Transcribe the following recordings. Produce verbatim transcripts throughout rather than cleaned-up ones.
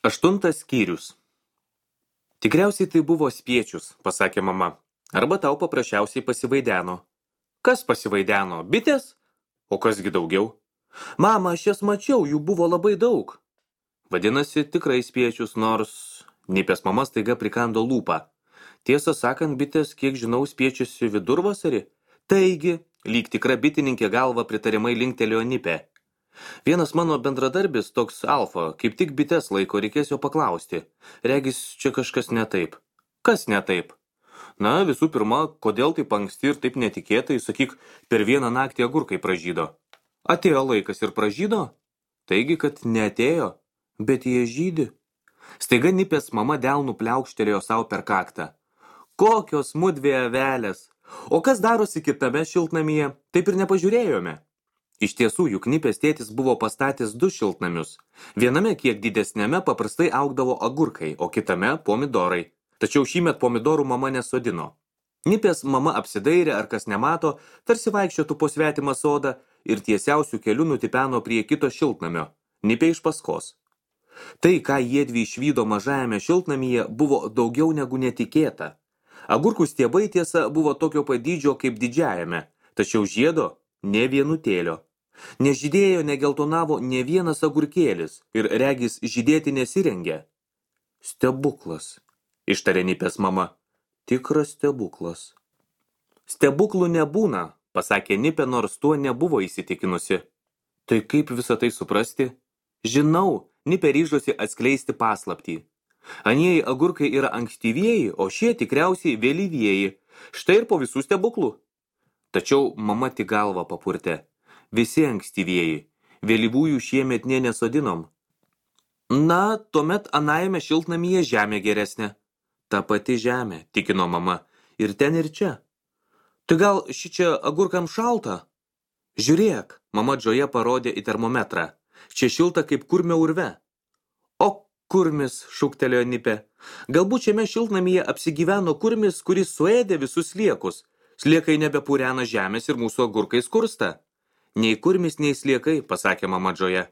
Aštuntas skyrius. Tikriausiai tai buvo spiečius, pasakė mama. Arba tau paprasčiausiai pasivaideno. Kas pasivaideno? Bitės? O kasgi daugiau? Mama, aš jas mačiau, jų buvo labai daug. Vadinasi, tikrai spiečius, nors... Nipės mama staiga prikando lūpą. Tiesą sakant, bitės, kiek žinau, spiečiusi vidurvasarį. Taigi, lyg tikra bitininkė galva pritariamai linktelėjo Nipė. Vienas mano bendradarbis, toks Alfa, kaip tik bites laiko, reikės jo paklausti. Regis, čia kažkas ne taip. Kas ne taip? Na, visų pirma, kodėl taip anksti ir taip netikėtai, sakyk, per vieną naktį agurkai pražydo. Atėjo laikas ir pražydo? Taigi, kad neatėjo, bet jie žydi. Staiga Nipės mama delnų pliaukštelėjo savo per kaktą. Kokios mudvi avelės! O kas darosi kitame šiltnamyje, taip ir nepažiūrėjome. Iš tiesų, juk Nipės tėtis buvo pastatęs du šiltnamius. Viename, kiek didesnėme, paprastai augdavo agurkai, o kitame pomidorai. Tačiau šįmet pomidorų mama nesodino. Nipės mama apsidairė, ar kas nemato, tarsi vaikščiotų po svetimą sodą ir tiesiausių kelių nutipeno prie kito šiltnamio. Nipė iš paskos. Tai, ką jiedvi išvydo mažajame šiltnamyje, buvo daugiau negu netikėta. Agurkų stiebai tiesa buvo tokio padydžio kaip didžiajame, tačiau žiedo ne vienutėlio. Nežydėjo, negeltonavo ne vienas agurkėlis ir regis žydėti nesirengė. Stebuklas, ištarė Nipės mama. Tikras stebuklas. Stebuklų nebūna, pasakė Nipė, nors tuo nebuvo įsitikinusi. Tai kaip visą tai suprasti? Žinau, Nipė ryžosi atskleisti paslaptį. Anieji agurkai yra ankstyvieji, o šie tikriausiai vėlyvieji. Štai ir po visų stebuklų. Tačiau mama tik galvą papurtė. Visi ankstyvieji. Vėlyvųjų šiemet nė nesodinom. Na, tuomet anajame šiltnamyje žemė geresnė. Ta pati žemė, tikino mama. Ir ten ir čia. Tai gal šičia agurkam šalta? Žiūrėk, mama Džoja parodė į termometrą. Čia šilta kaip kurmio urve. O kurmis, šūktelėjo Nipė. Galbūt šiame šiltnamyje apsigyveno kurmis, kuris suėdė visus sliekus. Sliekai nebepurena žemės ir mūsų agurkai skursta. Nei kurmis, nei sliekai, pasakė mama Džoja.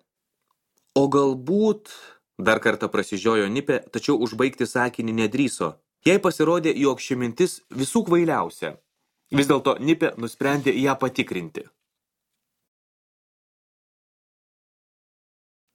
O galbūt... Dar kartą prasižiojo Nipė, tačiau užbaigti sakinį nedrįso. Jai pasirodė, jog ši mintis visų kvailiausia. Vis dėlto Nipė nusprendė ją patikrinti.